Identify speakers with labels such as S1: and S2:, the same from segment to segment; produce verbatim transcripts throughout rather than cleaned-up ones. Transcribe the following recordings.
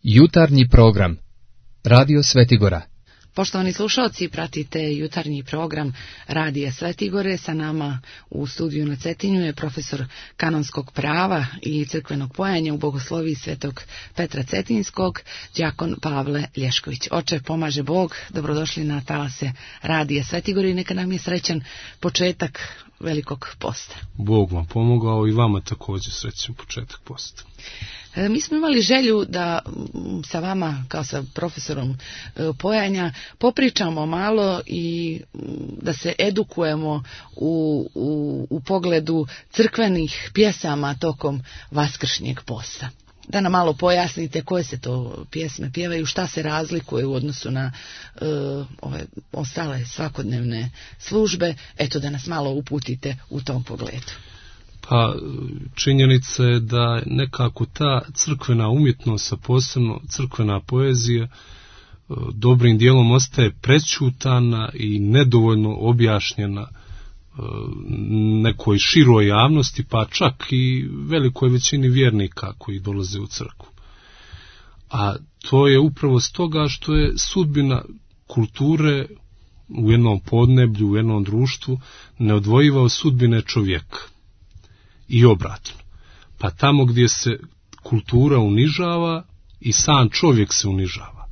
S1: Jutarnji program Radio Svetigora.
S2: Poštovani slušalci, pratite jutarnji program Radija Svetigore. Sa nama u studiju na Cetinju je profesor kanonskog prava i crkvenog pojenja u bogosloviji Svetog Petra Cetinskog, đakon Pavle Lješković. Oče, pomaže Bog, dobrodošli na talase Radija Svetigore i neka nam je srećan početak velikog posta.
S3: Bog vam pomogao i vama također srećan početak posta.
S2: Mi smo imali želju da sa vama, kao sa profesorom pojenja, popričamo malo i da se edukujemo u, u, u pogledu crkvenih pjesama tokom vaskršnjeg posta. Da nam malo pojasnite koje se to pjesme pjevaju, šta se razlikuje u odnosu na uh, ove ostale svakodnevne službe. Eto, da nas malo uputite u tom pogledu.
S3: Pa činjenica je da nekako ta crkvena umjetnost, a posebno crkvena poezija, dobrim dijelom ostaje prećutana i nedovoljno objašnjena nekoj široj javnosti, pa čak i velikoj većini vjernika koji dolaze u crkvu. A to je upravo stoga što je sudbina kulture u jednom podneblju, u jednom društvu neodvojiva od sudbine čovjeka. I obratno. Pa tamo gdje se kultura unižava i sam čovjek se unižava.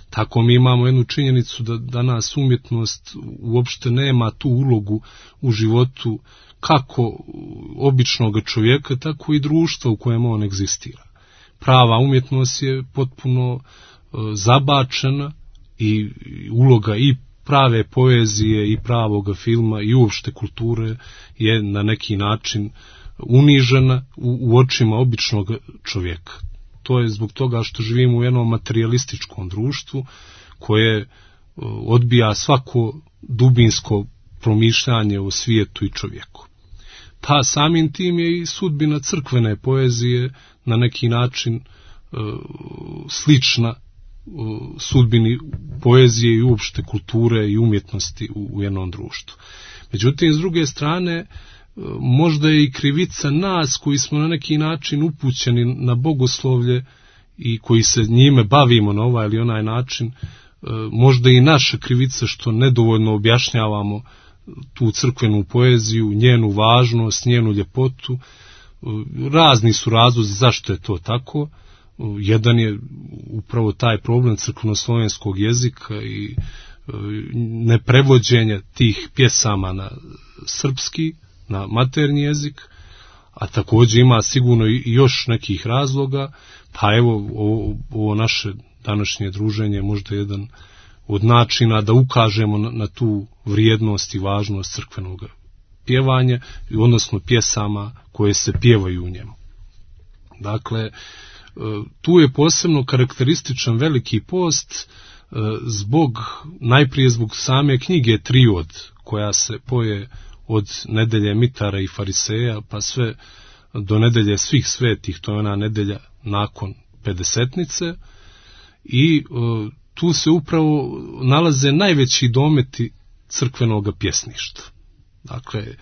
S3: Tako mi imamo jednu činjenicu da danas umjetnost uopšte nema tu ulogu u životu kako običnog čovjeka, tako i društva u kojem on egzistira. Prava umjetnost je potpuno uh, zabačena i uloga i prave poezije i pravoga filma i uopšte kulture je na neki način unižena u, u očima običnog čovjeka. To je zbog toga što živimo u jednom materijalističkom društvu koje odbija svako dubinsko promišljanje o svijetu i čovjeku. Pa samim tim je i sudbina crkvene poezije na neki način e, slična e, sudbini poezije i uopšte kulture i umjetnosti u, u jednom društvu. Međutim, s druge strane, možda je i krivica nas koji smo na neki način upućeni na bogoslovlje i koji se njime bavimo na ovaj ili onaj način, možda i naša krivica što nedovoljno objašnjavamo tu crkvenu poeziju, njenu važnost, njenu ljepotu. Razni su razlozi zašto je to tako. Jedan je upravo taj problem crkveno-slovenskog jezika i neprevođenja tih pjesama na srpski, na maternji jezik, a također ima sigurno i još nekih razloga, pa evo ovo, ovo naše današnje druženje možda jedan od načina da ukažemo na, na tu vrijednost i važnost crkvenog pjevanja, odnosno pjesama koje se pjevaju u njemu. Dakle, tu je posebno karakterističan veliki post zbog, najprije zbog same knjige Triod, koja se poje od nedelje mitara i fariseja pa sve do nedelje svih svetih, to je ona nedelja nakon pedesetnice, i e, tu se upravo nalaze najveći dometi crkvenog pjesništva. Dakle, e,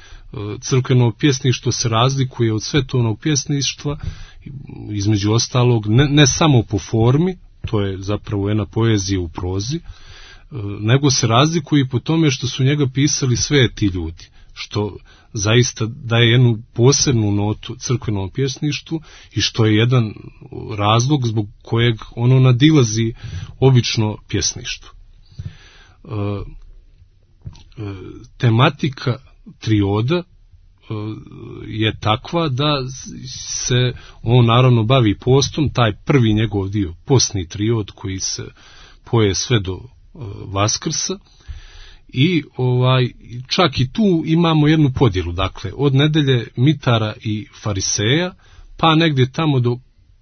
S3: crkveno pjesništvo se razlikuje od svetovnog pjesništva, između ostalog, ne, ne samo po formi, to je zapravo jedna poezija u prozi, e, nego se razlikuje i po tome što su njega pisali sveti ljudi, što zaista daje jednu posebnu notu crkvenom pjesništvu i što je jedan razlog zbog kojeg ono nadilazi obično pjesništvo. E, e, tematika trioda e, je takva da se on naravno bavi postom, taj prvi njegov dio, postni triod koji se poje sve do e, Vaskrsa. I ovaj čak i tu imamo jednu podjelu, dakle od nedelje mitara i fariseja pa negdje tamo do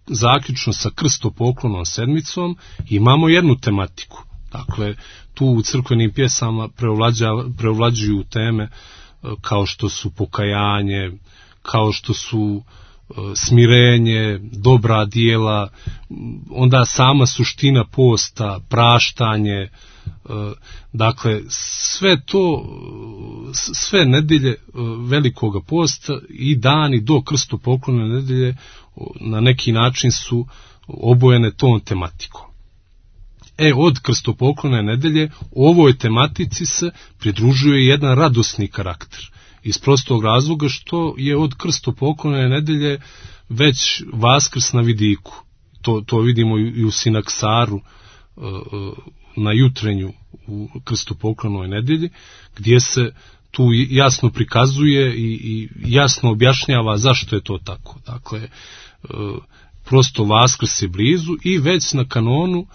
S3: zaključno sa krstopoklonom sedmicom imamo jednu tematiku. Dakle, tu u crkvenim pjesama preovlađuju teme kao što su pokajanje, kao što su smirenje, dobra djela, onda sama suština posta, praštanje. Dakle, sve to, sve nedelje velikoga posta i dani do krstopoklonne nedelje na neki način su obojene tom tematikom. E, od krstopoklone nedelje ovoj tematici se pridružuje jedan radosni karakter. Iz prostog razloga što je od krstopoklone nedelje već Vaskrs na vidiku. To, to vidimo i u Sinaksaru na jutrenju u krstopoklonoj nedelji, gdje se tu jasno prikazuje i, i jasno objašnjava zašto je to tako. Dakle, prosto Vaskrs je blizu i već na kanonu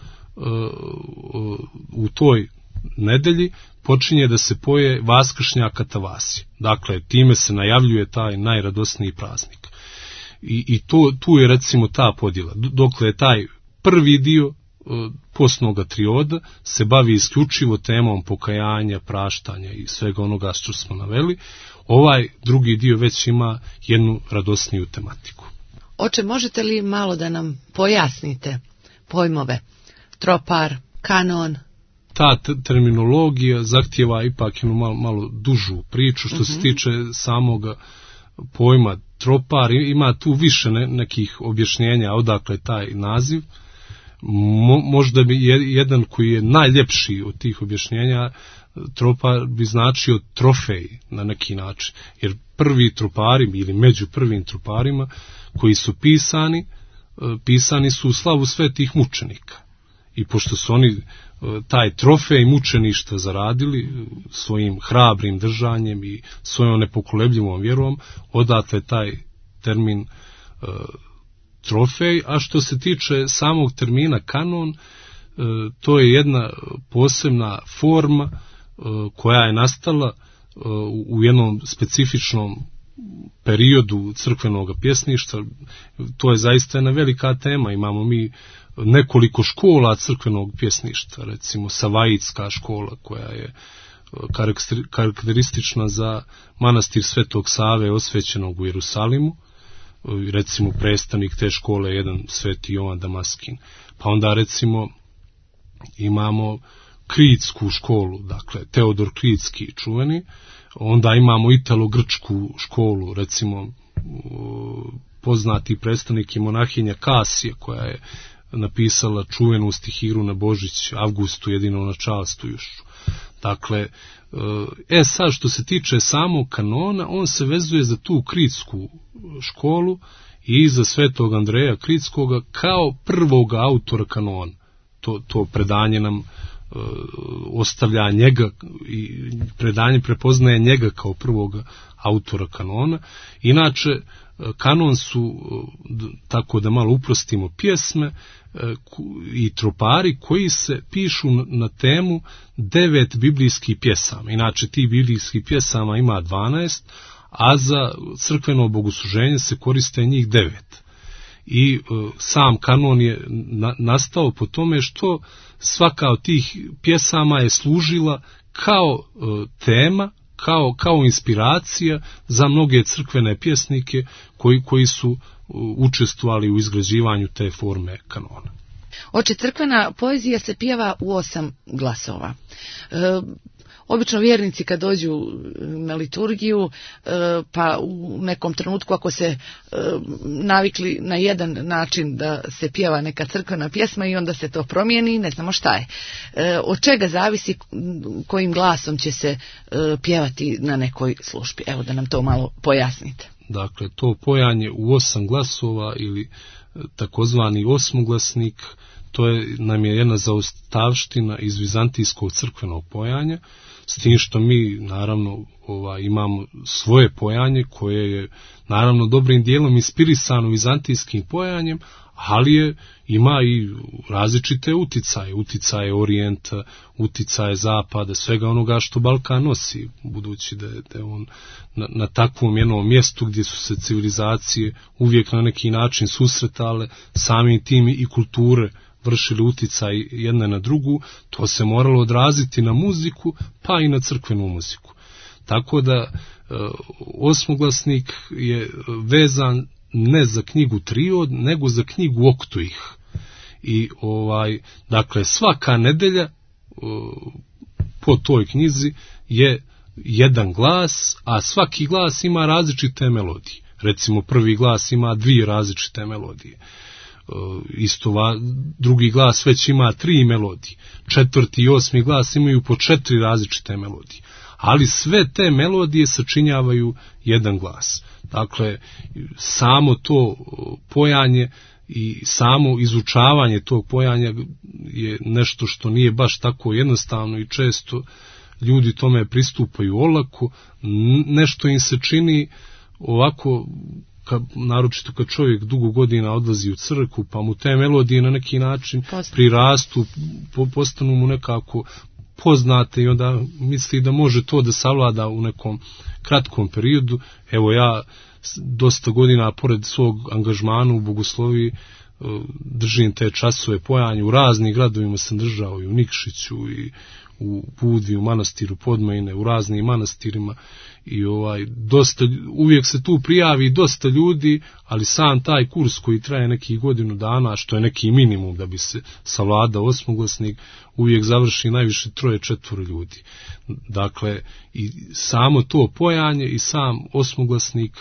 S3: u toj nedelji počinje da se poje Vaskršnja Katavasija. Dakle, time se najavljuje taj najradosniji praznik. I, i to, tu je recimo ta podjela. Dokle je taj prvi dio postnoga trioda se bavi isključivo temom pokajanja, praštanja i svega onoga što smo naveli, ovaj drugi dio već ima jednu radosniju tematiku.
S2: Oče, možete li malo da nam pojasnite pojmove tropar, kanon?
S3: Ta terminologija zahtijeva ipak jednu malo, malo dužu priču što uh-huh. se tiče samog pojma tropar. Ima tu više ne, nekih objašnjenja odakle taj naziv. Mo, možda bi jedan koji je najljepši od tih objašnjenja, tropar bi značio trofej na neki način. Jer prvi tropari ili među prvim troparima koji su pisani, pisani su u slavu svetih mučenika. I pošto su oni taj trofej mučeništva zaradili svojim hrabrim držanjem i svojom nepokolebljivom vjerom, odatle taj termin uh, trofej. A što se tiče samog termina kanon, uh, to je jedna posebna forma uh, koja je nastala uh, u jednom specifičnom periodu crkvenog pjesništva. To je zaista jedna velika tema. Imamo mi nekoliko škola crkvenog pjesništva, recimo Savajitska škola koja je karakteristična za manastir Svetog Save osvećenog u Jerusalimu, recimo predstavnik te škole je jedan Sveti Jovan Damaskin. Pa onda recimo imamo Kritsku školu, dakle Teodor Kritski čuveni, onda imamo Italo-Grčku školu, recimo poznati predstavnik je monahinja Kasija koja je napisala čuvenu stihiru na Božić Avgustu jedino načalstujušću. Dakle, e sad što se tiče samog kanona, on se vezuje za tu kritsku školu i za Svetog Andreja Kritskoga kao prvog autora kanona. To, to predanje nam e, ostavlja njega i predanje prepoznaje njega kao prvog autora kanona. Inače, kanon su, tako da malo uprostimo, pjesme i tropari koji se pišu na temu devet biblijskih pjesama. Inače, tih biblijskih pjesama ima dvanaest, a za crkveno bogosluženje se koriste njih devet. I sam kanon je nastao po tome što svaka od tih pjesama je služila kao tema, Kao, kao inspiracija za mnoge crkvene pjesnike koji, koji su učestvovali u izgrađivanju te forme kanona.
S2: Oče, crkvena poezija se pjeva u osam glasova. E, obično vjernici kad dođu na liturgiju, e, pa u nekom trenutku ako se e, navikli na jedan način da se pjeva neka crkvena pjesma i onda se to promijeni, ne znamo šta je. E, od čega zavisi kojim glasom će se e, pjevati na nekoj službi? Evo da nam to malo pojasnite.
S3: Dakle, to pojanje u osam glasova ili takozvani osmoglasnik, to je, nam je jedna zaostavština iz vizantijskog crkvenog pojanja, s tim što mi naravno ova, imamo svoje pojanje koje je naravno dobrim dijelom inspirisano vizantijskim pojanjem, ali je, ima i različite uticaje, uticaje Orijenta, uticaje Zapada, svega onoga što Balkan nosi, budući da je, da je on na, na takvom jednom mjestu gdje su se civilizacije uvijek na neki način susretale, samim tim i kulture vršili uticaj jedna na drugu, to se moralo odraziti na muziku, pa i na crkvenu muziku. Tako da e, osmoglasnik je vezan ne za knjigu Triod, nego za knjigu Oktuih. I ovaj, dakle, svaka nedelja e, po toj knjizi je jedan glas, a svaki glas ima različite melodije. Recimo, prvi glas ima dvije različite melodije. isto va, drugi glas već ima tri melodije, četvrti i osmi glas imaju po četiri različite melodije, ali sve te melodije sačinjavaju jedan glas. Dakle, samo to pojanje i samo izučavanje tog pojanja je nešto što nije baš tako jednostavno i često ljudi tome pristupaju olako, nešto im se čini ovako, kad, naročito kad čovjek dugo godina odlazi u crkvu, pa mu te melodije na neki način prirastu, po, postanu mu nekako poznate i onda misli da može to da savlada u nekom kratkom periodu. Evo ja dosta godina pored svog angažmana u bogosloviji držim te časove pojanja, u raznim gradovima sam držao i u Nikšiću i u Budvi, u manastiru Podmajine, u raznim manastirima i ovaj dosta, uvijek se tu prijavi dosta ljudi, ali sam taj kurs koji traje nekih godinu dana, što je neki minimum da bi se savladao osmoglasnik, uvijek završi najviše troje četvoro ljudi. Dakle, i samo to pojanje i sam osmoglasnik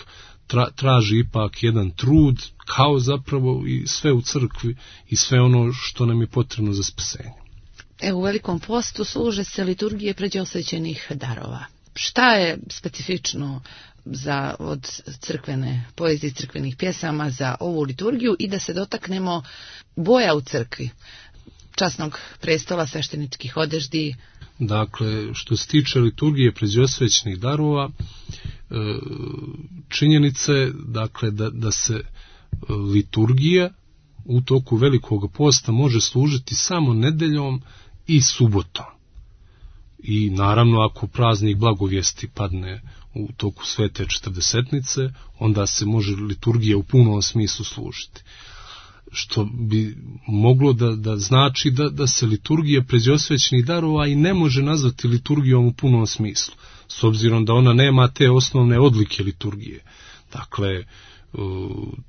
S3: tra, traži ipak jedan trud, kao zapravo i sve u crkvi i sve ono što nam je potrebno za spasenje.
S2: Evo, u Velikom postu služe se liturgije pređosvećenih darova. Šta je specifično za, od crkvene poezije, crkvenih pjesama za ovu liturgiju i da se dotaknemo boja u crkvi, časnog prestola, svešteničkih odeždi?
S3: Dakle, što se tiče liturgije pređosvećenih darova, činjenice, dakle, da, da se liturgija u toku Velikog posta može služiti samo nedeljom i subotom. I naravno ako praznik blagovijesti padne u toku svete četrdesetnice, onda se može liturgija u punom smislu služiti. Što bi moglo da, da znači da, da se liturgija pređosvećenih darova i ne može nazvati liturgijom u punom smislu, s obzirom da ona nema te osnovne odlike liturgije. Dakle,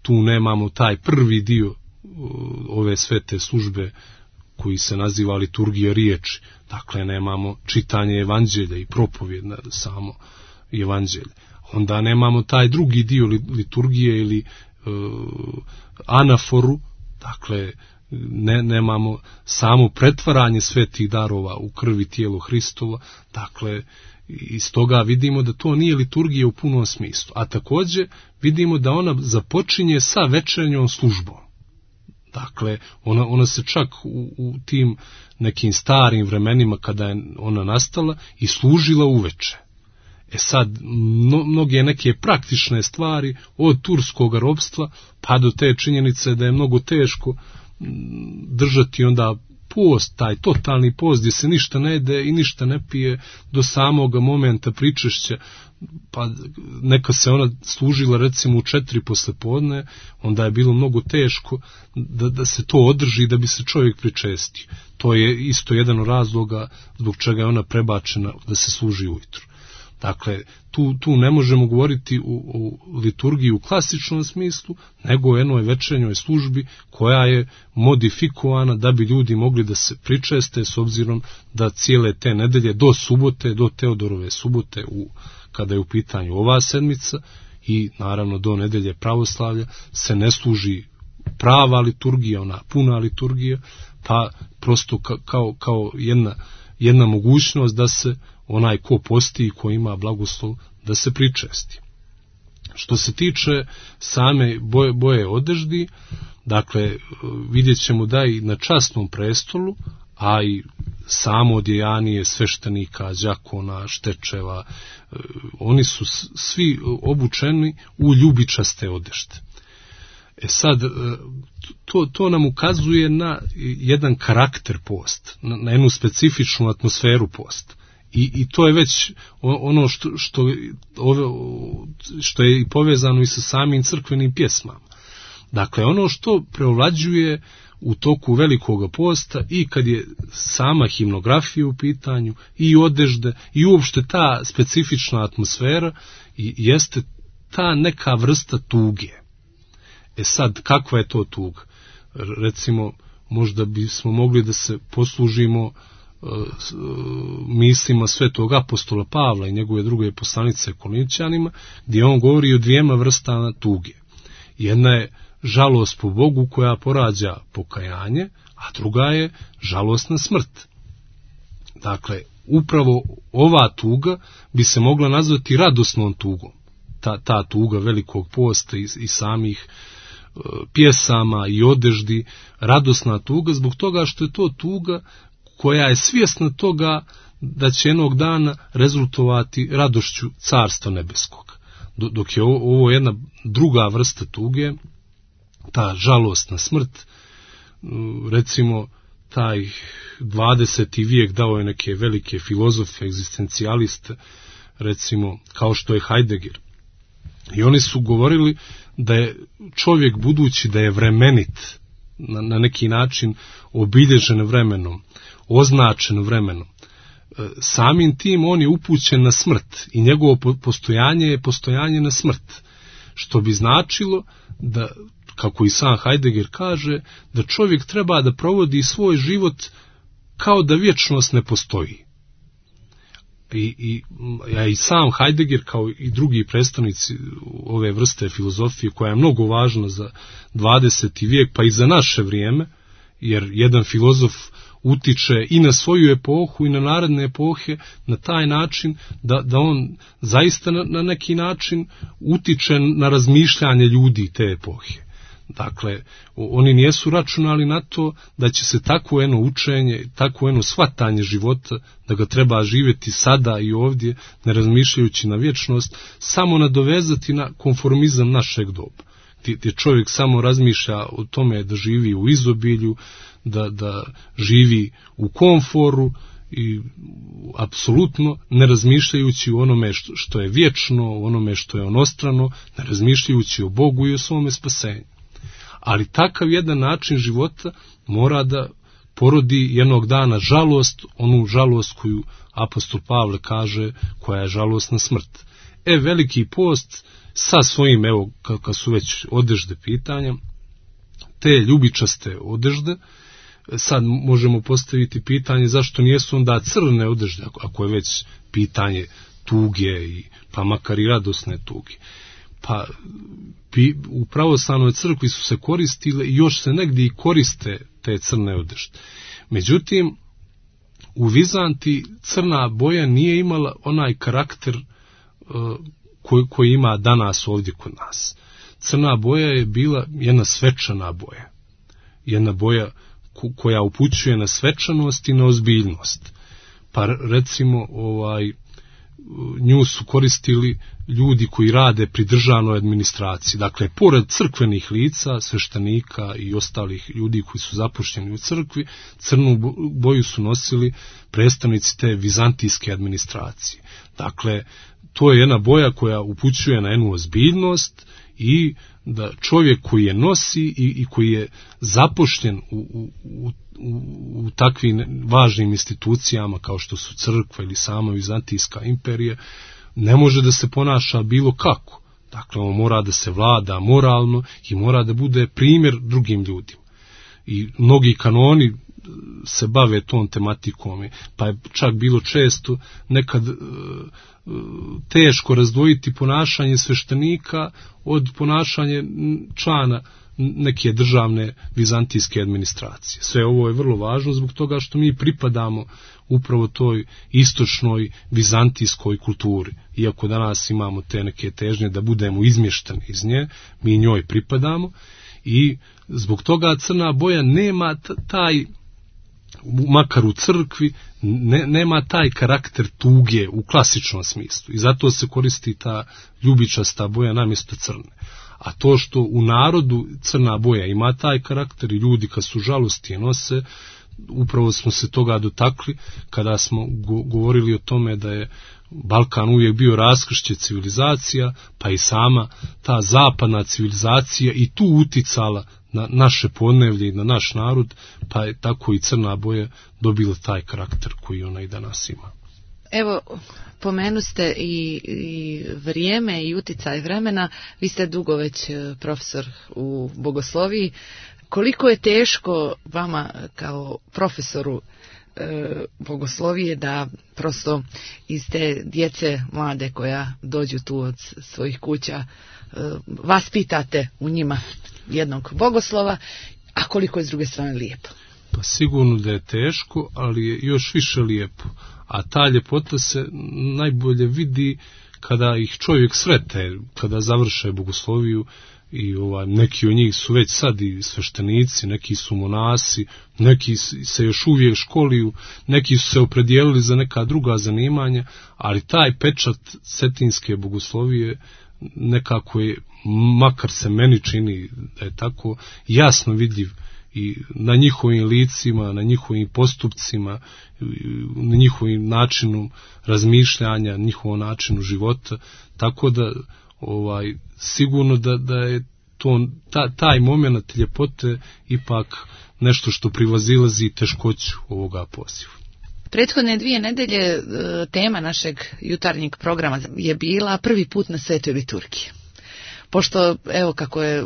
S3: tu nemamo taj prvi dio ove svete službe koji se naziva liturgija riječi. Dakle, nemamo čitanje evanđelja i propovjed na samo evanđelje. Onda nemamo taj drugi dio liturgije ili uh, anaforu, dakle, ne, nemamo samo pretvaranje svetih darova u krvi tijelo Hristova, dakle, iz toga vidimo da to nije liturgija u punom smislu. A također vidimo da ona započinje sa večernjom službom. Dakle, ona, ona se čak u, u tim nekim starim vremenima kada je ona nastala i služila uveče. E sad, mno, mnoge neke praktične stvari od turskog ropstva pa do te činjenice da je mnogo teško držati onda post, taj totalni post gdje se ništa ne jede i ništa ne pije do samoga momenta pričešća, pa neka se ona služila recimo u četiri poslepodne, onda je bilo mnogo teško da, da se to održi da bi se čovjek pričestio. To je isto jedan od razloga zbog čega je ona prebačena da se služi ujutro. Dakle, tu, tu ne možemo govoriti u, u liturgiji u klasičnom smislu, nego o jednoj večernjoj službi koja je modifikovana da bi ljudi mogli da se pričeste, s obzirom da cijele te nedelje do subote, do Teodorove subote, u, kada je u pitanju ova sedmica i naravno do nedelje pravoslavlja, se ne služi prava liturgija, ona puna liturgija, pa prosto ka, kao, kao jedna, jedna mogućnost da se onaj ko posti i ko ima blagoslov da se pričesti. Što se tiče same boje, boje odeždi, dakle, vidjet ćemo da i na časnom prestolu, a i samo odjejanije sveštenika, đakona, štečeva, oni su svi obučeni u ljubičaste odešte. E sad, to, to nam ukazuje na jedan karakter posta, na, na jednu specifičnu atmosferu posta. I, i to je već ono što, što, što je povezano i sa samim crkvenim pjesmama. Dakle, ono što preovlađuje u toku Velikog posta i kad je sama himnografija u pitanju, i odežde, i uopšte ta specifična atmosfera, i jeste ta neka vrsta tuge. E sad, kakva je to tuga? Recimo, možda bismo mogli da se poslužimo mislima svetog apostola Pavla i njegove druge poslanice Korinćanima, gdje on govori o dvijema vrstama tuge. Jedna je žalost po Bogu koja porađa pokajanje, a druga je žalost na smrt. Dakle, upravo ova tuga bi se mogla nazvati radosnom tugom. Ta, ta tuga velikog posta i, i samih e, pjesama i odeždi, radosna tuga, zbog toga što je to tuga koja je svjesna toga da će jednog dana rezultovati radošću Carstva nebeskog. Dok je ovo jedna druga vrsta tuge, ta žalost na smrt, recimo taj dvadeseti vijek dao je neke velike filozofe, egzistencijaliste, recimo kao što je Heidegger. I oni su govorili da je čovjek, budući da je vremenit, na, na neki način obilježen vremenom, označen vremenom, samim tim on je upućen na smrt i njegovo postojanje je postojanje na smrt, što bi značilo da, kako i sam Heidegger kaže, da čovjek treba da provodi svoj život kao da vječnost ne postoji. I, i, ja i sam Heidegger, kao i drugi predstavnici ove vrste filozofije, koja je mnogo važna za dvadeseti vijek, pa i za naše vrijeme, jer jedan filozof utiče i na svoju epohu i na naredne epohe na taj način da, da on zaista na, na neki način utiče na razmišljanje ljudi te epohe. Dakle, oni nijesu računali na to da će se takvo jedno učenje, takvo jedno shvatanje života, da ga treba živjeti sada i ovdje, ne razmišljajući na vječnost, samo nadovezati na konformizam našeg doba. Gdje čovjek samo razmišlja o tome da živi u izobilju, da, da živi u komforu i apsolutno ne razmišljajući o onome što, što je vječno, o onome što je onostrano, ne razmišljajući o Bogu i o svome spasenju. Ali takav jedan način života mora da porodi jednog dana žalost, onu žalost koju apostol Pavle kaže, koja je žalost na smrt. E, Veliki post sa svojim, evo, kad su već odežde pitanja, te ljubičaste odežde, sad možemo postaviti pitanje zašto nijesu onda crne odežde, ako je već pitanje tuge, i, pa makar i radosne tuge. Pa u pravoslavnoj crkvi su se koristile i još se negdje i koriste te crne odežde. Međutim, u Vizanti crna boja nije imala onaj karakter uh, koji, koji ima danas ovdje kod nas. Crna boja je bila jedna svečana boja. Jedna boja koja upućuje na svečanost i na ozbiljnost. Pa recimo ovaj nju su koristili ljudi koji rade pri državnoj administraciji. Dakle, pored crkvenih lica, sveštenika i ostalih ljudi koji su zapošljeni u crkvi, crnu boju su nosili predstavnici te vizantijske administracije. Dakle, to je jedna boja koja upućuje na jednu ozbiljnost i da čovjek koji je nosi i, i koji je zapošljen u, u, u, u takvim važnim institucijama kao što su crkva ili sama Vizantijska imperija, ne može da se ponaša bilo kako. Dakle, on mora da se vlada moralno i mora da bude primjer drugim ljudima. I mnogi kanoni se bave tom tematikom, pa je čak bilo često nekad e, teško razdvojiti ponašanje sveštenika od ponašanja člana neke državne vizantijske administracije. Sve ovo je vrlo važno zbog toga što mi pripadamo upravo toj istočnoj vizantijskoj kulturi. Iako danas imamo te neke težnje da budemo izmješteni iz nje, mi njoj pripadamo i zbog toga crna boja nema taj, makar u crkvi, ne, nema taj karakter tuge u klasičnom smislu. I zato se koristi ta ljubičasta boja namjesto crne. A to što u narodu crna boja ima taj karakter i ljudi kad su žalosti nose, upravo smo se toga dotakli kada smo go- govorili o tome da je Balkan uvijek bio raskršće civilizacija, pa i sama ta zapadna civilizacija i tu uticala na naše podnevlje i na naš narod, pa je tako i crna boja dobila taj karakter koji ona i danas ima.
S2: Evo, pomenu ste i, i vrijeme i uticaj vremena, vi ste dugo već profesor u bogosloviji. Koliko je teško vama kao profesoru e, bogoslovije, da prosto iz te djece mlade koja dođu tu od svojih kuća e, vaspitate u njima jednog bogoslova, a koliko je s druge strane lijepo.
S3: Pa sigurno da je teško, ali je još više lijepo. A ta ljepota se najbolje vidi kada ih čovjek srete, kada završe bogosloviju. I ovaj, neki od njih su već sad i sveštenici, neki su monasi, neki se još uvijek školuju, neki su se opredijelili za neka druga zanimanja, ali taj pečat cetinske bogoslovije nekako je, makar se meni čini da je tako, jasno vidljiv i na njihovim licima, na njihovim postupcima, na njihovim načinu razmišljanja, njihovom načinu života, tako da ovaj, sigurno da, da je to, ta, taj moment ljepote ipak nešto što privazilazi teškoću ovoga poziva.
S2: Prethodne dvije nedelje tema našeg jutarnjeg programa je bila prvi put na Svetoj liturgiji. Pošto, evo, kako je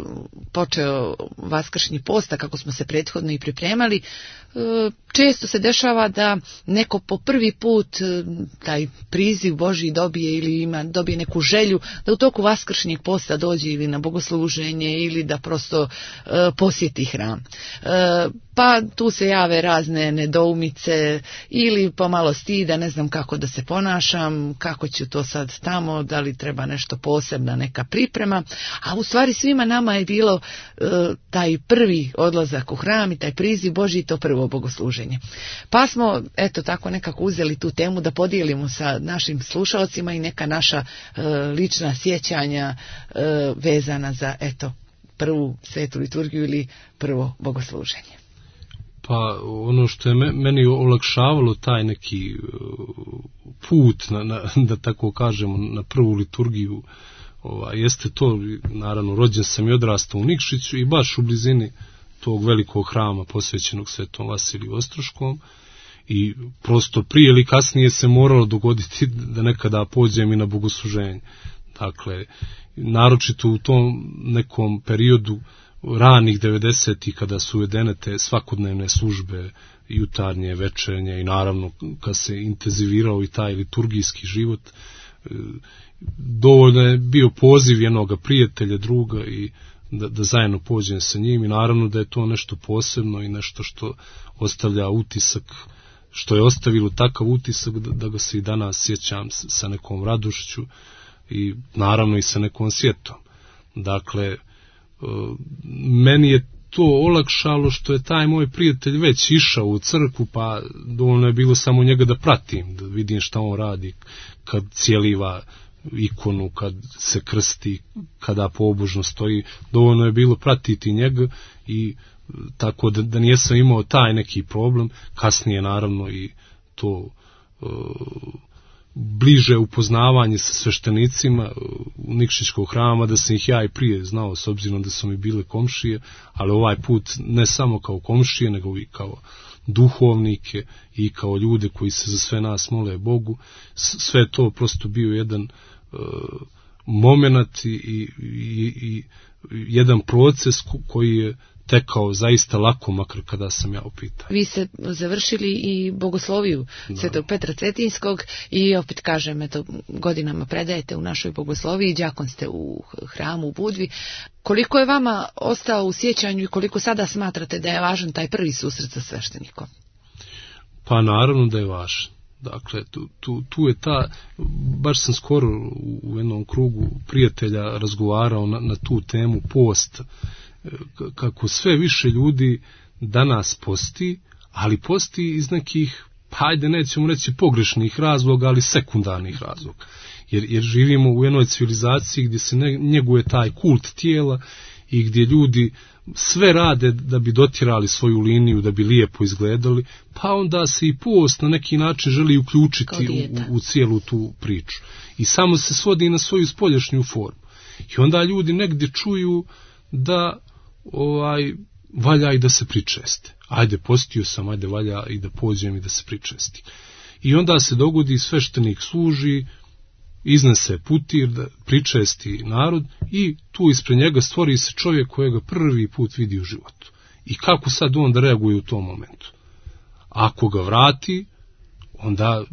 S2: počeo Vaskršnji post, a kako smo se prethodno i pripremali, često se dešava da neko po prvi put taj priziv Božji dobije ili ima, dobije neku želju da u toku Vaskršnjeg posta dođe ili na bogosluženje ili da prosto e, posjeti hram. E, pa tu se jave razne nedoumice ili pomalo stida, ne znam kako da se ponašam, kako ću to sad tamo, da li treba nešto posebna, neka priprema, a u stvari svima nama je bilo e, taj prvi odlazak u hram i taj priziv Božji, to prvo bogosluženje. Pa smo, eto, tako nekako uzeli tu temu da podijelimo sa našim slušalcima i neka naša e, lična sjećanja e, vezana za, eto, prvu svetu liturgiju ili prvo bogosluženje.
S3: Pa ono što je meni olakšavalo taj neki put, na, na, da tako kažemo, na prvu liturgiju, ovaj, jeste to, naravno, rođen sam i odrastao u Nikšiću i baš u blizini tog velikog hrama posvećenog Svetom Vasiliju Ostroškom i prosto prije ili kasnije se moralo dogoditi da nekada pođem i na bogosluženje. Dakle, naročito u tom nekom periodu ranih devedesetih kada su uvedene te svakodnevne službe, jutarnje, večernje i naravno kad se intenzivirao i taj liturgijski život, dovoljno je bio poziv jednog prijatelja, druga i da, da zajedno pođem sa njim i naravno da je to nešto posebno i nešto što ostavlja utisak, što je ostavilo takav utisak da, da ga se i danas sjećam sa nekom radošću i naravno i sa nekom sjetom. Dakle, meni je to olakšalo što je taj moj prijatelj već išao u crkvu, pa dovoljno je bilo samo njega da pratim, da vidim šta on radi kad cijeliva ikonu, kad se krsti, kada pobožno stoji, dovoljno je bilo pratiti njega i tako da, da nijesam imao taj neki problem. Kasnije naravno i to e, bliže upoznavanje sa sveštenicima u Nikšićkog hrama, da sam ih ja i prije znao s obzirom da su mi bile komšije, ali ovaj put ne samo kao komšije, nego i kao duhovnike i kao ljude koji se za sve nas mole Bogu. Sve to prosto bio jedan uh, moment i, i, i jedan proces koji je tekao zaista lako, makar kada sam ja upitao.
S2: Vi ste završili i bogosloviju Svetog Petra Cetinskog i opet kažem, eto, godinama predajete u našoj bogosloviji, đakon ste u hramu u Budvi. Koliko je vama ostao u sjećanju i koliko sada smatrate da je važan taj prvi susret sa sveštenikom?
S3: Pa naravno da je važan. Dakle, tu, tu, tu je ta, baš sam skoro u, u jednom krugu prijatelja razgovarao na, na tu temu post, kako sve više ljudi danas posti, ali posti iz nekih, hajde nećemo reći pogrešnih razloga, ali sekundarnih razloga. Jer, jer živimo u jednoj civilizaciji gdje se ne, njeguje taj kult tijela i gdje ljudi sve rade da bi dotirali svoju liniju, da bi lijepo izgledali, pa onda se i post na neki način želi uključiti u, u cijelu tu priču. I samo se svodi na svoju spoljašnju formu. I onda ljudi negdje čuju da ovaj, valja i da se pričeste. Ajde, postio sam, ajde, valja i da pođem i da se pričesti. I onda se dogodi, sveštenik služi, iznese putir, da pričesti narod i tu ispred njega stvori se čovjek kojega prvi put vidi u životu. I kako sad on da reaguje u tom momentu? Ako ga vrati, onda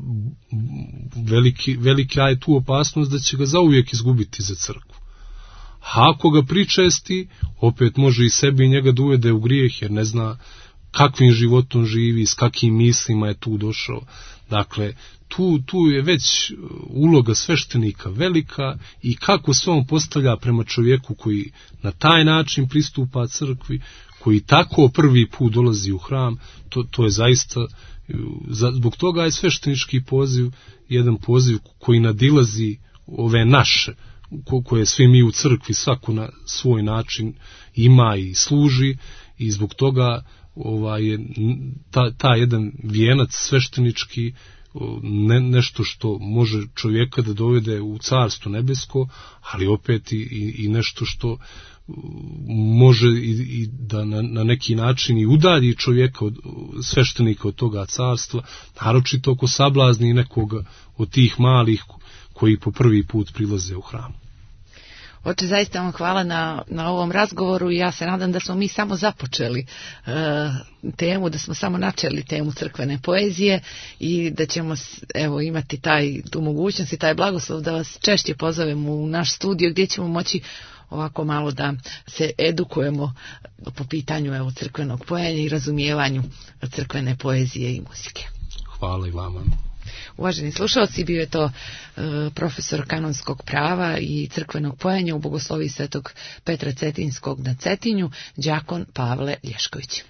S3: veliki, velika je tu opasnost da će ga zauvijek izgubiti za crkvu. A ako ga pričesti, opet može i sebi i njega da uvede u grijeh, jer ne zna kakvim životom živi, s kakvim mislima je tu došao. Dakle, tu, tu je već uloga sveštenika velika i kako se on postavlja prema čovjeku koji na taj način pristupa crkvi, koji tako prvi put dolazi u hram, to, to je zaista, zbog toga je sveštenički poziv jedan poziv koji nadilazi ove naše, koje svi mi u crkvi svako na svoj način ima i služi, i zbog toga ovaj, je ta, ta jedan vijenac sveštenički ne, nešto što može čovjeka da dovede u carstvo nebesko, ali opet i, i, i nešto što može i, i da na, na neki način i udalji čovjeka od sveštenika od toga carstva, naročito oko sablazni nekoga od tih malih koji po prvi put prilaze u hram.
S2: Oče, zaista vam hvala na, na ovom razgovoru i ja se nadam da smo mi samo započeli e, temu, da smo samo načeli temu crkvene poezije i da ćemo evo imati taj, tu mogućnost i taj blagoslov da vas češće pozovemo u naš studio gdje ćemo moći ovako malo da se edukujemo po pitanju evo crkvenog poenja i razumijevanju crkvene poezije i muzike.
S3: Hvala i vama.
S2: Uvaženi slušalci, bio je to e, profesor kanonskog prava i crkvenog poenja u Bogosloviji Svetog Petra Cetinskog na Cetinju, đakon Pavle Lješković.